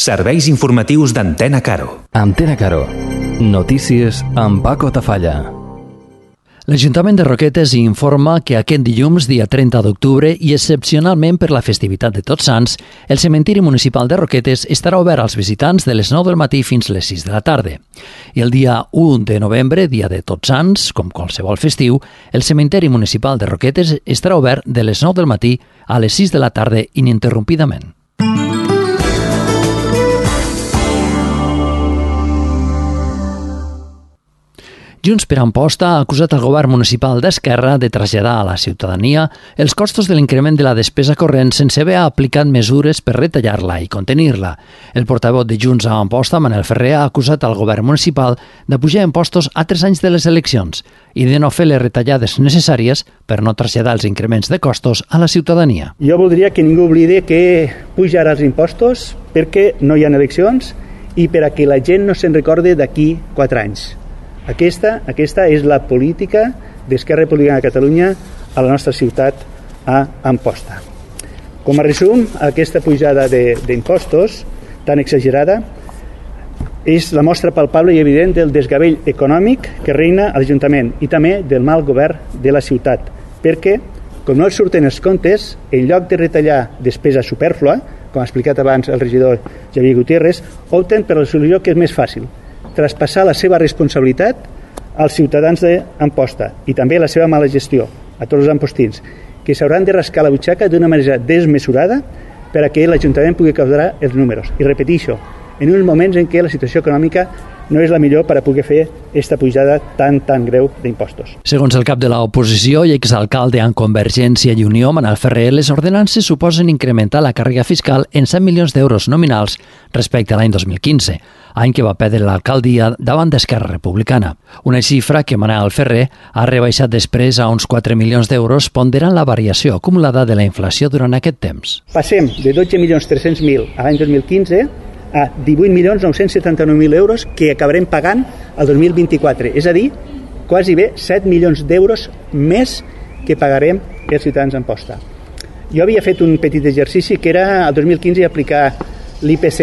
Serveis informatius d'Antena Caro. Antena Caro. Notícies amb Paco Tafalla. L'Ajuntament de Roquetes informa que aquest dilluns, dia 30 d'octubre, i excepcionalment per la festivitat de Tots Sants, el cementiri municipal de Roquetes estarà obert als visitants de les 9 del matí fins les 6 de la tarda. I el dia 1 de novembre, dia de Tots Sants, com qualsevol festiu, el cementiri municipal de Roquetes estarà obert de les 9 del matí a les 6 de la tarda ininterrompidament. Junts per Amposta ha acusat el govern municipal d'Esquerra de traslladar a la ciutadania els costos de l'increment de la despesa corrent sense haver aplicat mesures per retallar-la i contenir-la. El portaveu de Junts a Amposta, Manel Ferrer, ha acusat al govern municipal de pujar impostos a 3 anys de les eleccions i de no fer les retallades necessàries per no traslladar els increments de costos a la ciutadania. Jo voldria que ningú oblidi que pujar els impostos perquè no hi ha eleccions i per a que la gent no se'n recorde d'aquí 4 anys. Aquesta és la política d'Esquerra Republicana de Catalunya a la nostra ciutat, a Amposta. Com a resum, aquesta pujada d'impostos tan exagerada és la mostra palpable i evident del desgavell econòmic que reina a l'Ajuntament i també del mal govern de la ciutat, perquè, com no els surten els comptes, en lloc de retallar despesa supèrflua, com ha explicat abans el regidor Javier Gutiérrez, opten per la solució que és més fàcil, traspassar la seva responsabilitat als ciutadans d'Amposta i també la seva mala gestió a tots els ampostins, que s'hauran de rascar la butxaca d'una manera desmesurada per a que l'Ajuntament pugui quadrar els números. I repeteixo, en uns moments en què la situació econòmica no és la millor per a poder fer aquesta pujada tan greu d'impostos. Segons el cap de l'oposició i exalcalde en Convergència i Unió, Manel Ferrer, les ordenances suposen incrementar la càrrega fiscal en 100 milions d'euros nominals respecte a l'any 2015, any que va perdre l'alcaldia davant d'Esquerra Republicana. Una xifra que Manel Ferrer ha rebaixat després a uns 4 milions d'euros, ponderant la variació acumulada de la inflació durant aquest temps. Passem de 12.300.000 a l'any 2015 a 18.979.000 euros que acabarem pagant el 2024. És a dir, quasi bé 7 milions d'euros més que pagarem els ciutadans d'Amposta. Jo havia fet un petit exercici que era el 2015 aplicar l'IPC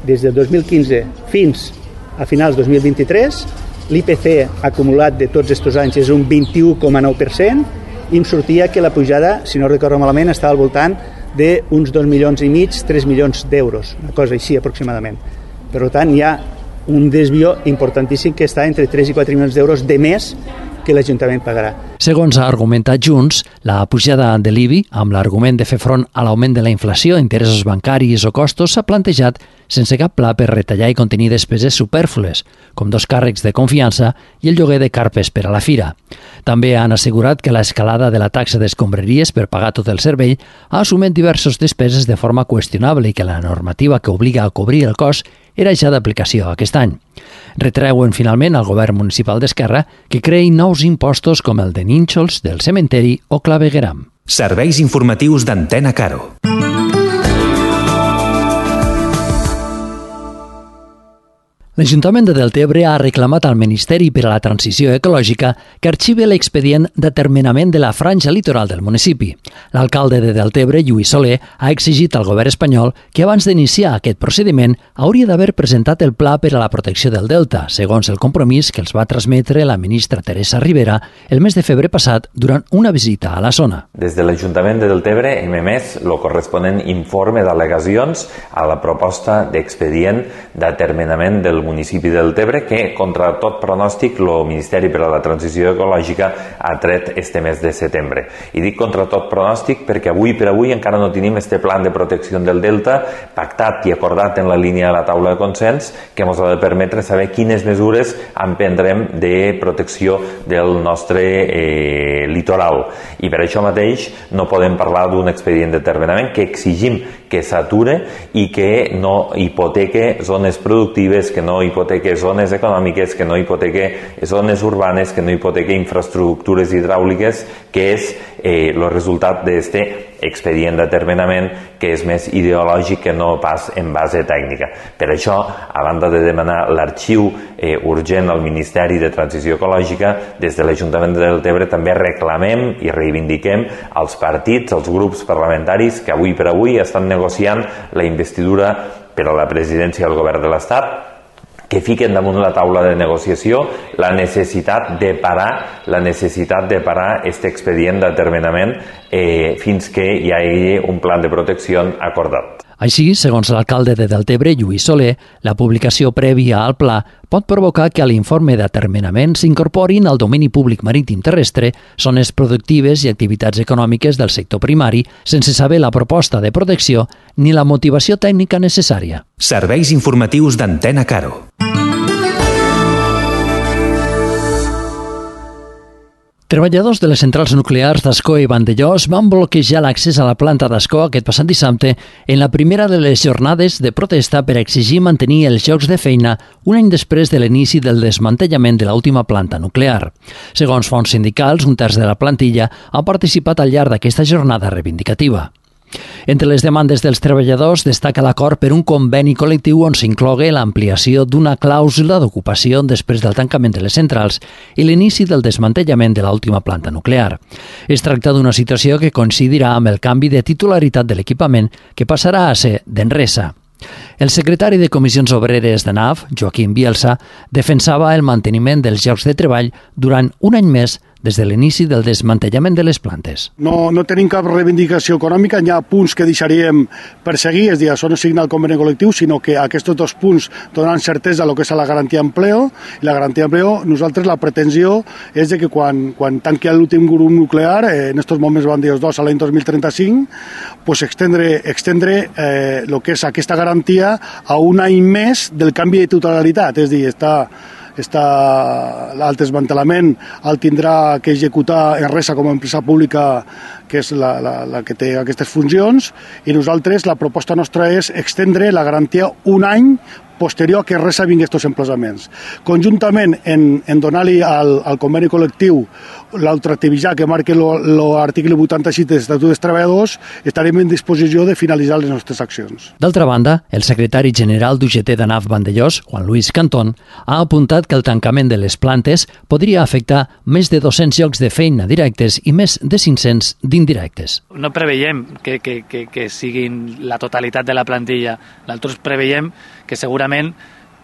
des del 2015 fins a finals 2023. L'IPC acumulat de tots aquests anys és un 21,9% i em sortia que la pujada, si no recordo malament, estava al voltant d'uns 2,5 milions, 3 milions d'euros, una cosa així aproximadament. Per tant, hi ha un desvió importantíssim que està entre 3 i 4 milions d'euros de més que l'Ajuntament pagarà. Segons ha argumentat Junts, la pujada de l'IBI, amb l'argument de fer front a l'augment de la inflació, interessos bancaris o costos, s'ha plantejat sense cap pla per retallar i contenir despeses supèrflues, com 2 càrrecs de confiança i el lloguer de carpes per a la fira. També han assegurat que l'escalada de la taxa d'escombraries per pagar tot el servei ha assumit diverses despeses de forma qüestionable i que la normativa que obliga a cobrir el cost era ja d'aplicació aquest any. Retreuen finalment al govern municipal d'Esquerra que creï nous impostos com el de nínxols, del cementeri o clavegueram. Serveis informatius d'Antena Caro. L'Ajuntament de Deltebre ha reclamat al Ministeri per a la Transició Ecològica que arxivi l'expedient d'atermenament de la franja litoral del municipi. L'alcalde de Deltebre, Lluís Soler, ha exigit al govern espanyol que abans d'iniciar aquest procediment hauria d'haver presentat el Pla per a la protecció del Delta, segons el compromís que els va transmetre la ministra Teresa Rivera el mes de febrer passat durant una visita a la zona. Des de l'Ajuntament de Deltebre hem emès el corresponent informe d'al·legacions a la proposta d'expedient d'atermenament del municipi de Deltebre que, contra tot pronòstic, el Ministeri per a la Transició Ecològica ha tret este mes de setembre. I dic contra tot pronòstic perquè avui per avui encara no tenim este plan de protecció del Delta pactat i acordat en la línia de la taula de consens que ens ha de permetre saber quines mesures emprendrem de protecció del nostre litoral. I per això mateix no podem parlar d'un expedient d'atermenament que exigim que s'ature i que no hipoteque zones productives, que no hipoteque zones econòmiques, que no hipoteque zones urbanes, que no hipoteque infraestructures hidràuliques, que és el resultat d'aquest expedient d'atermenament que és més ideològic que no pas en base tècnica. Per això, a banda de demanar l'arxiu urgent al Ministeri de Transició Ecològica, des de l'Ajuntament de Deltebre també reclamem i reivindiquem als partits, als grups parlamentaris que avui per avui estan negociant la investidura per a la presidència del govern de l'Estat, que fiquen damunt la taula de negociació la necessitat de parar aquest expedient d'atermenament fins que hi hagi un pla de protecció acordat. Així, segons l'alcalde de Deltebre, Lluís Soler, la publicació prèvia al pla pot provocar que a l'informe d'atermenament s'incorporin al domini públic marítim terrestre zones productives i activitats econòmiques del sector primari sense saber la proposta de protecció ni la motivació tècnica necessària. Serveis informatius d'Antena Caro. Treballadors de les centrals nuclears d'Ascó i Vandellòs van bloquejar l'accés a la planta d'Ascó aquest passat dissabte en la primera de les jornades de protesta per exigir mantenir els llocs de feina un any després de l'inici del desmantellament de l'última planta nuclear. Segons fonts sindicals, un terç de la plantilla ha participat al llarg d'aquesta jornada reivindicativa. Entre les demandes dels treballadors destaca l'acord per un conveni col·lectiu on s'inclogui l'ampliació d'una clàusula d'ocupació després del tancament de les centrals i l'inici del desmantellament de l'última planta nuclear. Es tracta d'una situació que coincidirà amb el canvi de titularitat de l'equipament que passarà a ser d'Enresa. El secretari de Comissions Obreres de NAF, Joaquim Bielsa, defensava el manteniment dels llocs de treball durant un any més des de l'inici del desmantellament de les plantes. No tenim cap reivindicació econòmica, hi ha punts que deixaríem per seguir, és a dir, això no signa el conveni col·lectiu, sinó que aquests dos punts donen certesa a lo que és la garantia d'empleo, i la garantia d'empleo, nosaltres la pretensió és de que quan tanqui l'últim grup nuclear, en aquests moments van dir els dos a l'any 2035, pues extendre el que és aquesta garantia a un any més del canvi de titularitat, és a dir, el desmantellament el tindrà que executar Enresa com a empresa pública, que és la que té aquestes funcions, i nosaltres la proposta nostra és extendre la garantia un any posterior a que Enresa vingui aquests emplaçaments. Conjuntament, en donar-li al conveni col·lectiu l'ultractivitat que marca l'article 86 de l'Estatut dels Treballadors, estarem en disposició de finalitzar les nostres accions. D'altra banda, el secretari general d'UGT de NAF Vandellòs, Juan Luis Cantón, ha apuntat que el tancament de les plantes podria afectar més de 200 llocs de feina directes i més de 500 d'indirectes. No preveiem que siguin la totalitat de la plantilla. Nosaltres preveiem que segurament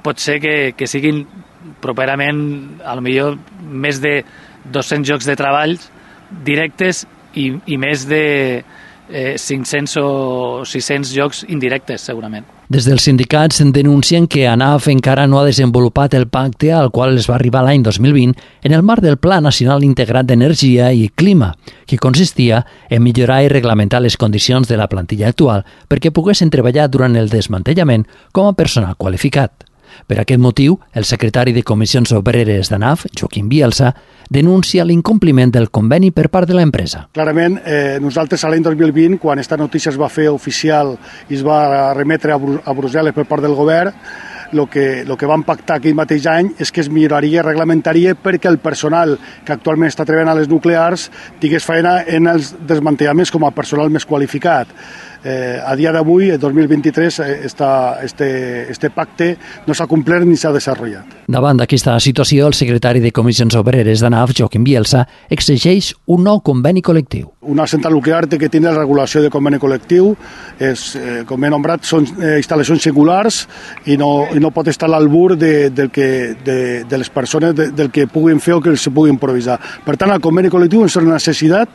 pot ser que siguin properament a lo millor més de 200 llocs de treball directes i més de 500 o 600 llocs indirectes, segurament. Des dels sindicats denuncien que ANAF encara no ha desenvolupat el pacte al qual es va arribar l'any 2020 en el marc del Pla Nacional Integrat d'Energia i Clima, que consistia en millorar i reglamentar les condicions de la plantilla actual perquè poguessin treballar durant el desmantellament com a personal qualificat. Per aquest motiu, el secretari de Comissions Obreres d'ANAF, Joaquim Bielsa, denuncia l'incompliment del conveni per part de l'empresa. Clarament, nosaltres a l'any 2020, quan aquesta notícia es va fer oficial i es va remetre a Brussel·les per part del govern, el que vam pactar aquell mateix any és que es milloraria i reglamentaria perquè el personal que actualment està treballant a les nuclears tingués feina en els desmantellaments com a personal més qualificat. A dia d'avui, el 2023, este pacte no s'ha complert ni s'ha desenvolupat. Davant d'aquesta situació, el secretari de Comissions Obreres d'ANAF, Joaquim Bielsa, exigeix un nou conveni col·lectiu. Una central nuclear té que tenir la regulació de conveni col·lectiu, com he nombrat, són instal·lacions singulars i no pot estar a l'albur de les persones del que puguin fer o que se pugui improvisar. Per tant, el conveni col·lectiu és una necessitat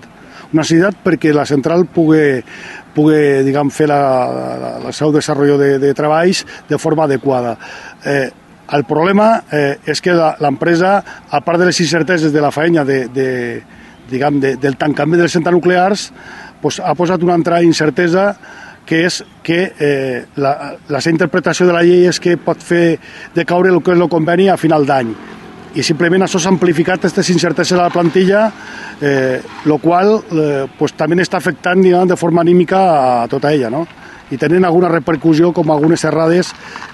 perquè la central pugui fer el seu desenvolupament de treballs de forma adequada. El problema és que l'empresa, a part de les incerteses de la feina del tancament de les centrals nuclears, ha posat una altra incertesa, que és que la seva interpretació de la llei és que pot fer decaure el que és el conveni a final d'any. I simplement això s'ha amplificat aquestes incerteses a la plantilla, el qual també està afectant de forma anímica a tota ella, no? I tenen alguna repercussió com algunes errades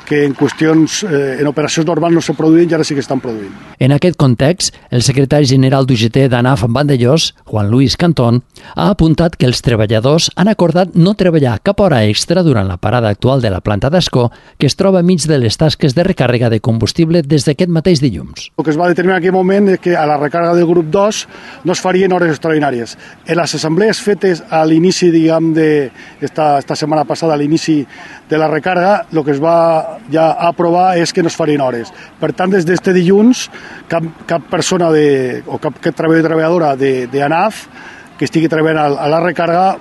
que en qüestions, en operacions normals no se produïen i ara sí que estan produint. En aquest context, el secretari general d'UGT d'ANAF en Vandellós, Juan Luis Cantón, ha apuntat que els treballadors han acordat no treballar cap hora extra durant la parada actual de la planta d'Ascó, que es troba mig de les tasques de recàrrega de combustible des d'aquest mateix dilluns. El que es va determinar en aquell moment és que a la recàrrega del grup 2 no es farien hores extraordinàries. En les assemblees fetes a l'inici, diguem, esta setmana passada, a l'inici de la recàrrega, el que es va ja aprovar és que no es farien hores. Per tant, des d'este dilluns, cap persona o cap treballadora d'ANAF que estigui treballant a la recàrrega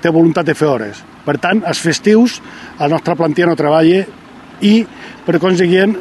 té voluntat de fer hores. Per tant, els festius, la nostra plantilla no treballa i, per consiguient,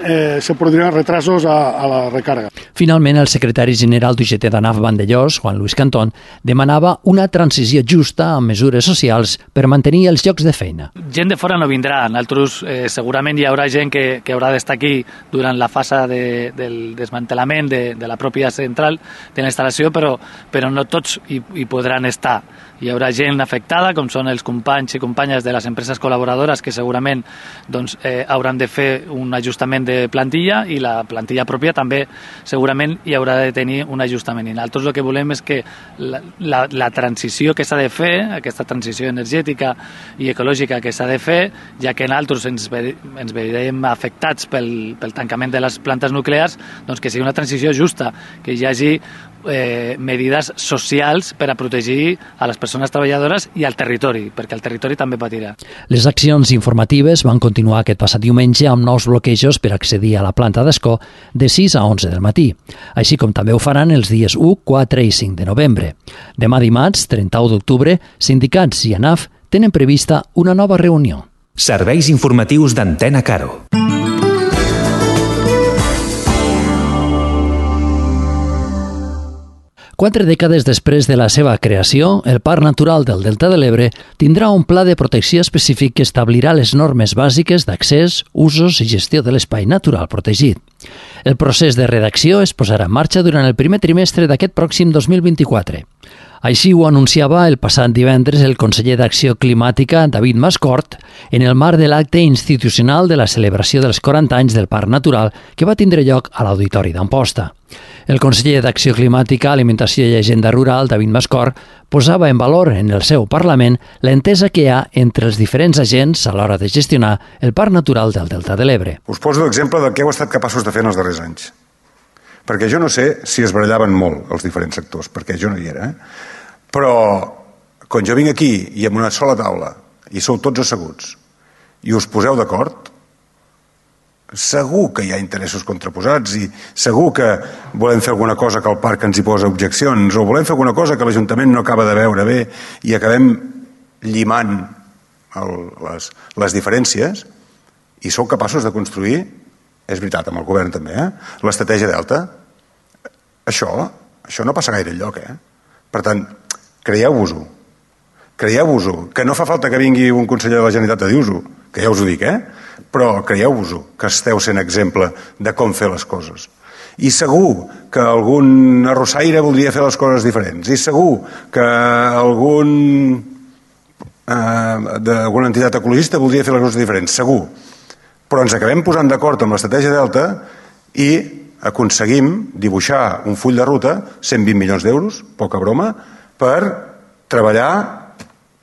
se produiran retrasos a la recàrrega. Finalment, el secretari general d'UGT d'ANAF Vandellós, Juan Luis Cantón, demanava una transició justa amb mesures socials per mantenir els llocs de feina. Gent de fora no vindrà. Nosaltres segurament hi haurà gent que haurà d'estar aquí durant la fase del desmantelament de la pròpia central de la instal·lació, però no tots hi podran estar. Hi haurà gent afectada, com són els companys i companyes de les empreses col·laboradores que segurament hauran de fer un ajustament de plantilla i la plantilla pròpia també segurament hi haurà de tenir un ajustament. I nosaltres el que volem és que la transició que s'ha de fer, aquesta transició energètica i ecològica que s'ha de fer, ja que nosaltres ens veiem afectats pel tancament de les plantes nuclears, doncs que sigui una transició justa, que hi hagi medides socials per a protegir a les persones treballadores i al territori, perquè el territori també patirà. Les accions informatives van continuar aquest passat diumenge amb nous bloquejos per accedir a la planta d'Ascó de 6 a 11 del matí, així com també ho faran els dies 1, 4 i 5 de novembre. Demà dimarts, 31 d'octubre, sindicats i ANAF tenen prevista una nova reunió. Serveis informatius d'Antena Caro. Quatre dècades després de la seva creació, el Parc Natural del Delta de l'Ebre tindrà un pla de protecció específic que establirà les normes bàsiques d'accés, usos i gestió de l'espai natural protegit. El procés de redacció es posarà en marxa durant el primer trimestre d'aquest pròxim 2024. Així ho anunciava el passat divendres el conseller d'Acció Climàtica, David Mascort, en el marc de l'acte institucional de la celebració dels 40 anys del Parc Natural que va tindre lloc a l'Auditori d'Amposta. El conseller d'Acció Climàtica, Alimentació i Agenda Rural, David Mascort, posava en valor en el seu Parlament l'entesa que hi ha entre els diferents agents a l'hora de gestionar el Parc Natural del Delta de l'Ebre. Us poso l'exemple del que heu estat capaços de fer en els darrers anys. Perquè jo no sé si es barallaven molt els diferents sectors, perquè jo no hi era. Però quan jo vinc aquí i amb una sola taula i sou tots asseguts i us poseu d'acord, segur que hi ha interessos contraposats i segur que volem fer alguna cosa que el parc ens hi posa objeccions o volem fer alguna cosa que l'Ajuntament no acaba de veure bé i acabem llimant les diferències i sou capaços de construir, és veritat, amb el govern també, l'estratègia Delta. Això no passa gaire enlloc. Per tant, creieu-vos-ho, que no fa falta que vingui un conseller de la Generalitat a dir-vos-ho, que ja us ho dic, però creieu-vos-ho, que esteu sent exemple de com fer les coses. I segur que algun arrossaire voldria fer les coses diferents, i segur que d'alguna entitat ecologista voldria fer les coses diferents, segur. Però ens acabem posant d'acord amb l'estratègia Delta i aconseguim dibuixar un full de ruta, 120 milions d'euros, poca broma, per treballar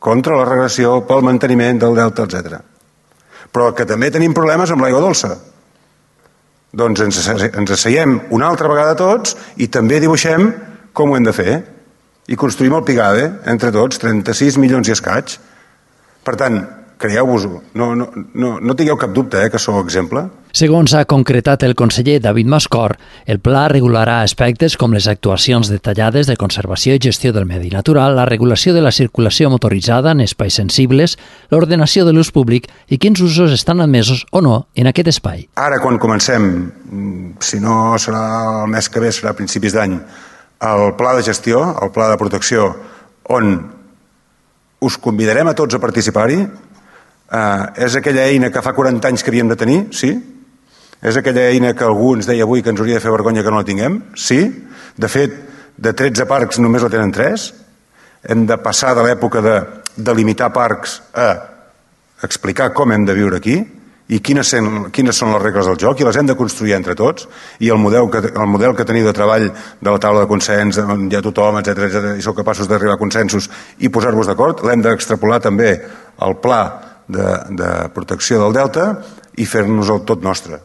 contra la regressió, pel manteniment del delta, etc. Però que també tenim problemes amb l'aigua dolça. Doncs ens asseiem una altra vegada tots i també dibuixem com ho hem de fer i construïm el Pigade entre tots, 36 milions i escaig. Per tant, creieu-vos-ho, no tingueu cap dubte que sou exemple. Segons ha concretat el conseller David Mascort, el pla regularà aspectes com les actuacions detallades de conservació i gestió del medi natural, la regulació de la circulació motoritzada en espais sensibles, l'ordenació de l'ús públic i quins usos estan admesos o no en aquest espai. Ara, quan comencem, si no serà el mes que ve, serà a principis d'any, el pla de gestió, el pla de protecció, on us convidarem a tots a participar-hi. És aquella eina que fa 40 anys que havíem de tenir? Sí. És aquella eina que algú ens deia avui que ens hauria de fer vergonya que no la tinguem? Sí. De fet, de 13 parcs només la tenen 3. Hem de passar de l'època de delimitar parcs a explicar com hem de viure aquí i quines són les regles del joc, i les hem de construir entre tots, i el model que teniu de treball de la taula de consens, on hi ha tothom, etc i sou capaços d'arribar a consensos i posar-vos d'acord, l'hem d'extrapolar també al pla de protecció del delta i fer-nos el tot nostre.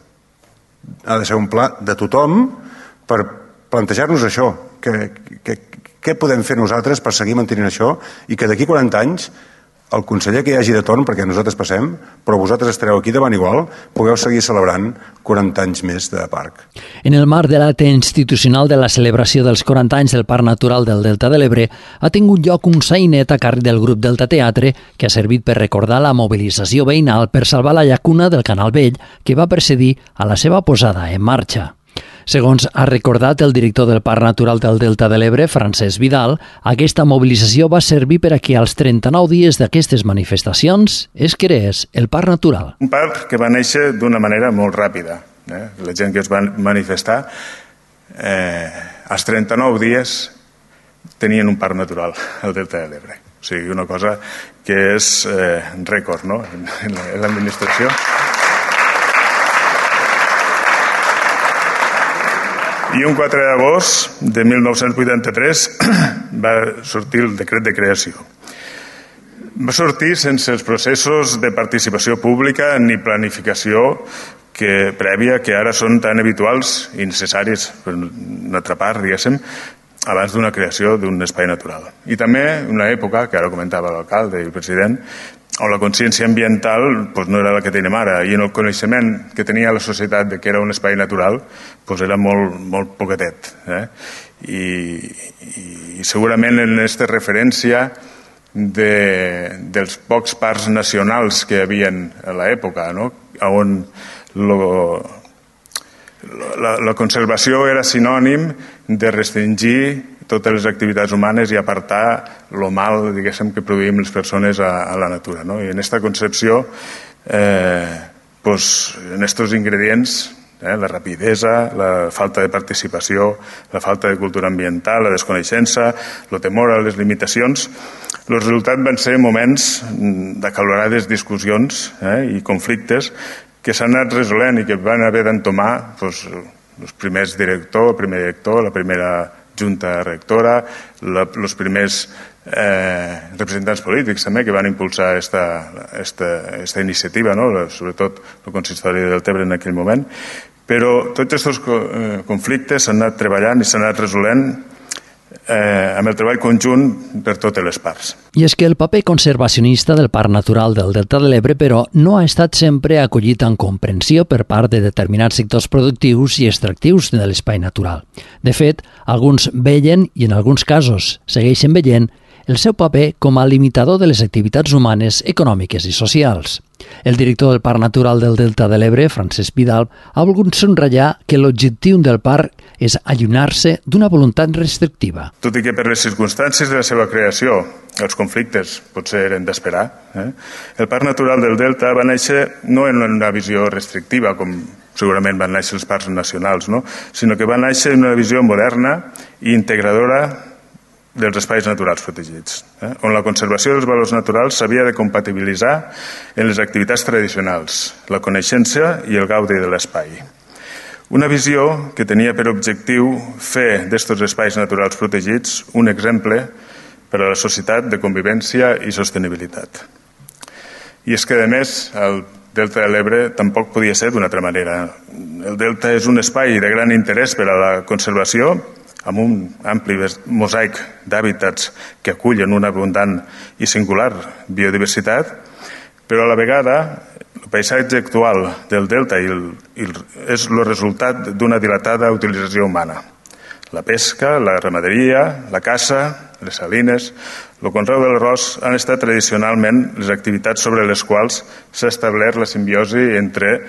Ha de ser un pla de tothom per plantejar-nos això, què podem fer nosaltres per seguir mantenint això i que d'aquí 40 anys el conseller que hi hagi de torn, perquè nosaltres passem, però vosaltres estareu aquí davant igual, pugueu seguir celebrant 40 anys més de parc. En el marc de l'acte institucional de la celebració dels 40 anys del Parc Natural del Delta de l'Ebre ha tingut lloc un sainet a càrrec del grup Delta Teatre que ha servit per recordar la mobilització veïnal per salvar la llacuna del Canal Vell que va precedir a la seva posada en marxa. Segons ha recordat el director del Parc Natural del Delta de l'Ebre, Francesc Vidal, aquesta mobilització va servir per a que als 39 dies d'aquestes manifestacions es creés el Parc Natural. Un parc que va néixer d'una manera molt ràpida. La gent que es va manifestar, als 39 dies tenien un parc natural al Delta de l'Ebre. O sigui, una cosa que és rècord, no?, en l'administració. I un 4 d'agost de 1983 va sortir el decret de creació. Va sortir sense els processos de participació pública ni planificació prèvia que ara són tan habituals i necessaris per una altra part, diguéssim, abans d'una creació d'un espai natural. I també una època, que ara comentava l'alcalde i el president, on la consciència ambiental no era la que tenim ara, i en el coneixement que tenia la societat de que era un espai natural era molt poquetet. I segurament en aquesta referència dels pocs parcs nacionals que hi havia a l'època, on la conservació era sinònim de restringir totes les activitats humanes i apartar el mal, diguéssim, que produïm les persones a la natura. I en aquesta concepció, en aquests ingredients, la rapidesa, la falta de participació, la falta de cultura ambiental, la desconeixença, el temor a les limitacions, el resultat van ser moments d'acalorades discussions i conflictes que s'han anat resolent i que van haver d'entomar els primers directors, el primer director, la primera junta rectora, els primers representants polítics també que van impulsar aquesta iniciativa, sobretot el consistori del Tebre en aquell moment. Però tots aquests conflictes s'han anat treballant i s'han anat resolent amb el treball conjunt per totes les parts. I és que el paper conservacionista del Parc Natural del Delta de l'Ebre, però, no ha estat sempre acollit amb comprensió per part de determinats sectors productius i extractius de l'espai natural. De fet, alguns veien, i en alguns casos segueixen veient, el seu paper com a limitador de les activitats humanes, econòmiques i socials. El director del Parc Natural del Delta de l'Ebre, Francesc Vidal, ha volgut subratllar que l'objectiu del parc és allunyar-se d'una voluntat restrictiva. Tot i que per les circumstàncies de la seva creació els conflictes potser eren d'esperar, el Parc Natural del Delta va néixer no en una visió restrictiva, com segurament van néixer els parcs nacionals, sinó que va néixer en una visió moderna i integradora dels espais naturals protegits, on la conservació dels valors naturals s'havia de compatibilitzar en les activitats tradicionals, la coneixença i el gaudi de l'espai. Una visió que tenia per objectiu fer d'estos espais naturals protegits un exemple per a la societat de convivència i sostenibilitat. I és que, a més, el Delta de l'Ebre tampoc podia ser d'una altra manera. El Delta és un espai de gran interès per a la conservació, amb un ampli mosaic d'hàbitats que acullen una abundant i singular biodiversitat, però a la vegada el paisatge actual del delta és el resultat d'una dilatada utilització humana. La pesca, la ramaderia, la caça, les salines, el conreu de l'arròs han estat tradicionalment les activitats sobre les quals s'ha establert la simbiosi entre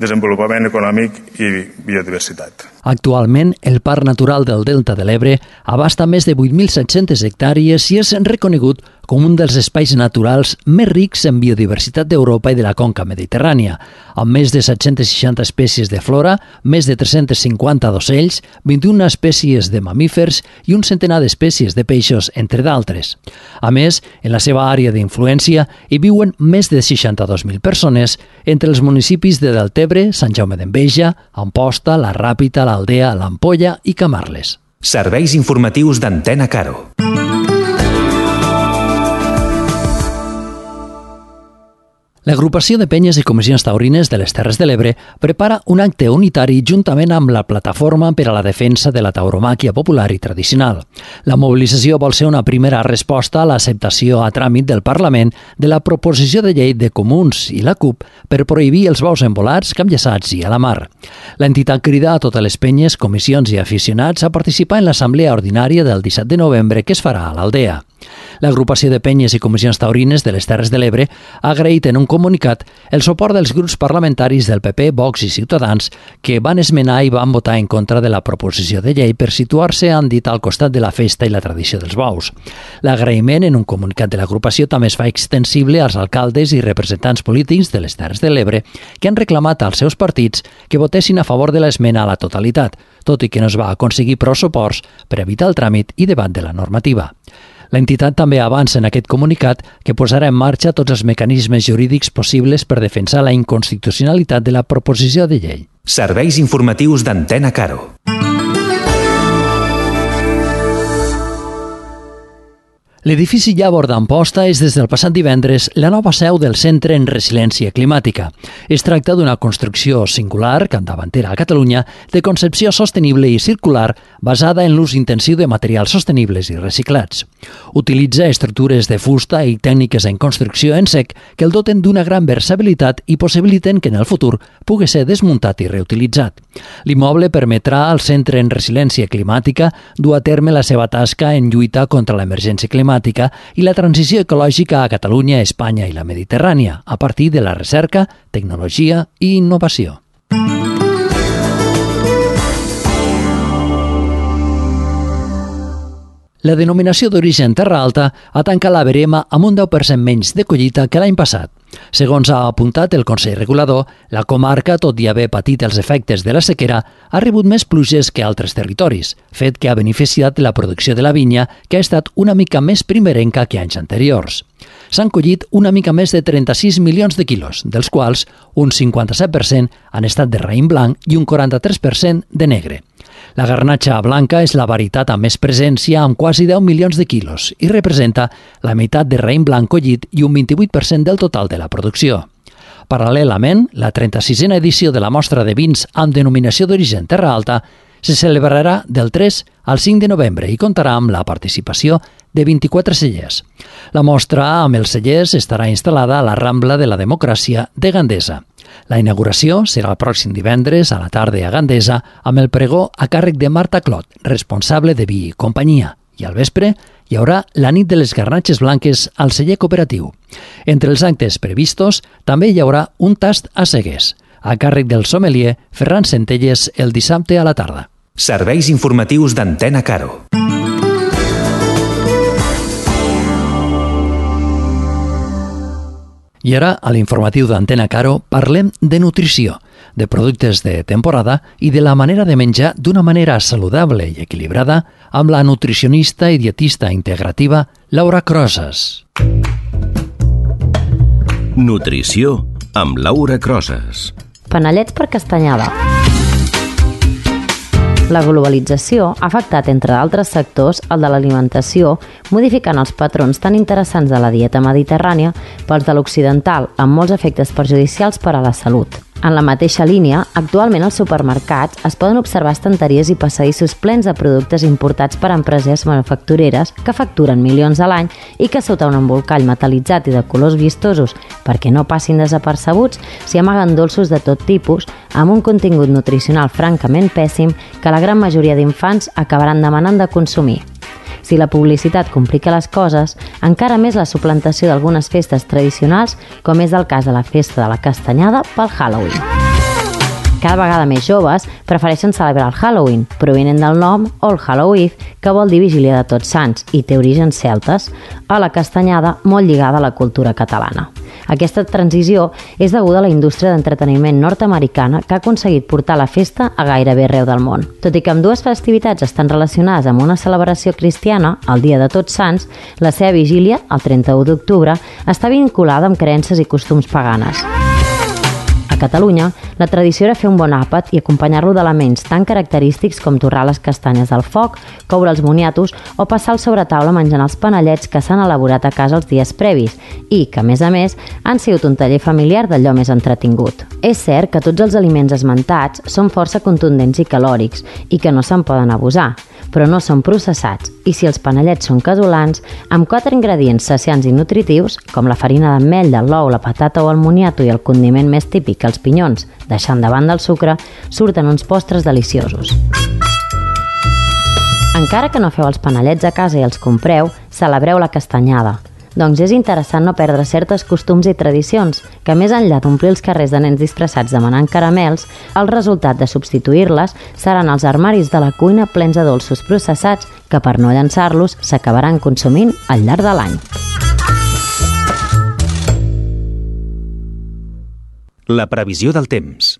desenvolupament econòmic i biodiversitat. Actualment, el Parc Natural del Delta de l'Ebre abasta més de 8.700 hectàrees i és reconegut com un dels espais naturals més rics en biodiversitat d'Europa i de la conca mediterrània, amb més de 760 espècies de flora, més de 350 d'ocells, 21 espècies de mamífers i un centenar d'espècies de peixos, entre d'altres. A més, en la seva àrea d'influència hi viuen més de 62.000 persones entre els municipis de Deltebre, Sant Jaume d'Enveja, Amposta, la Ràpita, l'Aldea, l'Ampolla i Camarles. Serveis informatius d'Antena Caro. L'Agrupació de Penyes i Comissions Taurines de les Terres de l'Ebre prepara un acte unitari juntament amb la Plataforma per a la Defensa de la Tauromàquia Popular i Tradicional. La mobilització vol ser una primera resposta a l'acceptació a tràmit del Parlament de la proposició de llei de Comuns i la CUP per prohibir els bous embolats, camp-lleçats i a la mar. L'entitat crida a totes les penyes, comissions i aficionats a participar en l'assemblea ordinària del 17 de novembre que es farà a l'Aldea. L'Agrupació de Penyes i Comissions Taurines de les Terres de l'Ebre ha agraït en un comunicat el suport dels grups parlamentaris del PP, Vox i Ciutadans que van esmenar i van votar en contra de la proposició de llei per situar-se, han dit, al costat de la festa i la tradició dels bous. L'agraïment en un comunicat de l'agrupació també es fa extensible als alcaldes i representants polítics de les Terres de l'Ebre que han reclamat als seus partits que votessin a favor de l'esmena a la totalitat, tot i que no es va aconseguir prou suports per evitar el tràmit i debat de la normativa. L'entitat també avança en aquest comunicat que posarà en marxa tots els mecanismes jurídics possibles per defensar la inconstitucionalitat de la proposició de llei. Serveis informatius d'Antena Caro. L'edifici Llavor d'Amposta és des del passat divendres la nova seu del Centre en Resiliència Climàtica. Es tracta d'una construcció singular, capdavantera a Catalunya, de concepció sostenible i circular basada en l'ús intensiu de materials sostenibles i reciclats. Utilitza estructures de fusta i tècniques en construcció en sec que el doten d'una gran versatilitat i possibiliten que en el futur pugui ser desmuntat i reutilitzat. L'immoble permetrà al Centre en Resiliència Climàtica dur a terme la seva tasca en lluita contra l'emergència climàtica i la transició ecològica a Catalunya, Espanya i la Mediterrània, a partir de la recerca, tecnologia i innovació. La denominació d'origen Terra Alta ha tancat la verema amb un 10% menys de collita que l'any passat. Segons ha apuntat el Consell Regulador, la comarca, tot i haver patit els efectes de la sequera, ha rebut més pluges que altres territoris, fet que ha beneficiat la producció de la vinya, que ha estat una mica més primerenca que anys anteriors. S'han collit una mica més de 36 milions de quilos, dels quals un 57% han estat de raïm blanc i un 43% de negre. La garnatxa blanca és la varietat amb més presència, amb quasi 10 milions de quilos, i representa la meitat de raïm blanc collit i un 28% del total de la producció. Paral·lelament, la 36a edició de la mostra de vins amb denominació d'origen Terra Alta se celebrarà del 3 al 5 de novembre i comptarà amb la participació de 24 cellers. La mostra amb els cellers estarà instal·lada a la Rambla de la Democràcia de Gandesa. La inauguració serà el pròxim divendres a la tarda a Gandesa amb el pregó a càrrec de Marta Clot, responsable de vi i companyia. I al vespre hi haurà la nit de les garnatxes blanques al celler cooperatiu. Entre els actes previstos també hi haurà un tast a ceguers, a càrrec del sommelier Ferran Centelles el dissabte a la tarda. Serveis informatius d'Antena Caro. I ara, a l'informatiu d'Antena Caro, parlem de nutrició, de productes de temporada i de la manera de menjar d'una manera saludable i equilibrada amb la nutricionista i dietista integrativa Laura Crosas. Nutrició amb Laura Crosas. Panellets per castanyada. La globalització ha afectat, entre d'altres sectors, el de l'alimentació, modificant els patrons tan interessants de la dieta mediterrània pels de l'occidental, amb molts efectes perjudicials per a la salut. En la mateixa línia, actualment als supermercats es poden observar estanteries i passadissos plens de productes importats per empreses manufactureres que facturen milions a l'any i que sota un embolcall metal·litzat i de colors vistosos perquè no passin desapercebuts s'hi amaguen dolços de tot tipus amb un contingut nutricional francament pèssim que la gran majoria d'infants acabaran demanant de consumir. Si la publicitat complica les coses, encara més la suplantació d'algunes festes tradicionals, com és el cas de la festa de la castanyada pel Halloween. Cada vegada més joves prefereixen celebrar el Halloween, provinent del nom All Hallow Eve, que vol dir Vigília de Tots Sants i té orígens celtes, a la castanyada molt lligada a la cultura catalana. Aquesta transició és deguda a la indústria d'entreteniment nord-americana que ha aconseguit portar la festa a gairebé arreu del món. Tot i que ambdues festivitats estan relacionades amb una celebració cristiana, el Dia de Tots Sants, la seva vigília, el 31 d'octubre, està vinculada amb creences i costums paganes. A Catalunya, la tradició era fer un bon àpat i acompanyar-lo d'elements tan característics com torrar les castanyes al foc, coure els moniatos o passar el sobretaula menjant els panellets que s'han elaborat a casa els dies previs i que, a més, han sigut un taller familiar d'allò més entretingut. És cert que tots els aliments esmentats són força contundents i calòrics i que no se'n poden abusar, però no són processats i si els panellets són casolans, amb 4 ingredients saciants i nutritius, com la farina d'ametlla, l'ou, la patata o el moniato i el condiment més típic, els pinyons, deixant de banda el sucre, surten uns postres deliciosos. Encara que no feu els panellets a casa i els compreu, celebreu la castanyada. Doncs és interessant no perdre certes costums i tradicions, que més enllà d'omplir els carrers de nens disfressats demanant caramels, el resultat de substituir-les seran els armaris de la cuina plens de dolços processats que per no llançar-los s'acabaran consumint al llarg de l'any. La previsió del temps.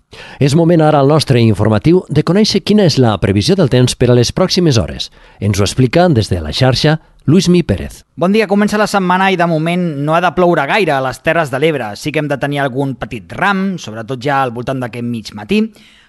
És moment ara al nostre informatiu de conèixer quina és la previsió del temps per a les pròximes hores. Ens ho explica des de la xarxa Luismi Pérez. Bon dia, comença la setmana i de moment no ha de ploure gaire a les Terres de l'Ebre. Sí que hem de tenir algun petit ram, sobretot ja al voltant d'aquest mig matí,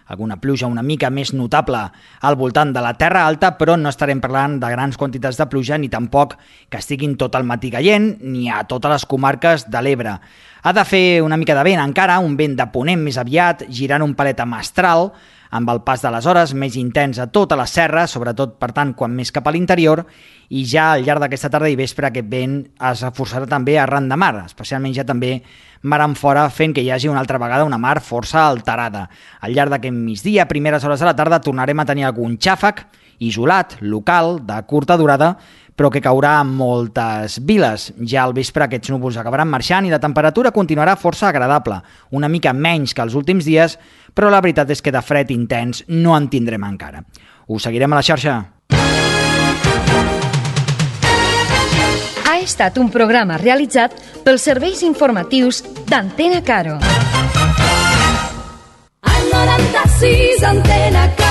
alguna pluja una mica més notable al voltant de la Terra Alta, però no estarem parlant de grans quantitats de pluja ni tampoc que estiguin tot el matí caient ni a totes les comarques de l'Ebre. Ha de fer una mica de vent encara, un vent de ponent més aviat, girant un palet a mestral, amb el pas de les hores més intens a tota la serra, sobretot, per tant, quan més cap a l'interior, i ja al llarg d'aquesta tarda i vespre aquest vent es reforçarà també arran de mar, especialment ja també mar en fora, fent que hi hagi una altra vegada una mar força alterada. Al llarg d'aquest migdia, a primeres hores de la tarda, tornarem a tenir algun xàfec isolat, local, de curta durada, però que caurà en moltes viles. Ja al vespre aquests núvols acabaran marxant i la temperatura continuarà força agradable, una mica menys que els últims dies, però la veritat és que de fred intens no en tindrem encara. Us seguirem a la xarxa. Ha estat un programa realitzat pels serveis informatius d'Antena Caro. Al 96 Antena Caro.